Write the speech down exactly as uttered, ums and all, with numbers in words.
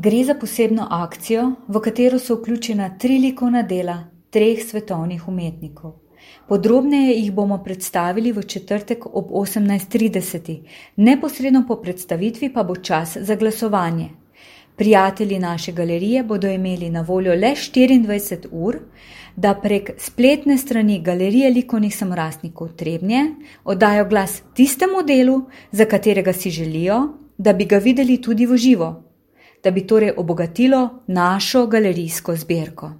Gre za posebno akcijo, v katero so vključena tri likovna dela treh svetovnih umetnikov. Podrobneje jih bomo predstavili v četrtek ob osemnajst trideset, neposredno po predstavitvi pa bo čas za glasovanje. Prijatelji naše galerije bodo imeli na voljo le štiriindvajset ur, da prek spletne strani Galerije likovnih samorastnikov Trebnje oddajo glas tistemu delu, za katerega si želijo, da bi ga videli tudi v živo, da bi torej obogatilo našo galerijsko zbirko.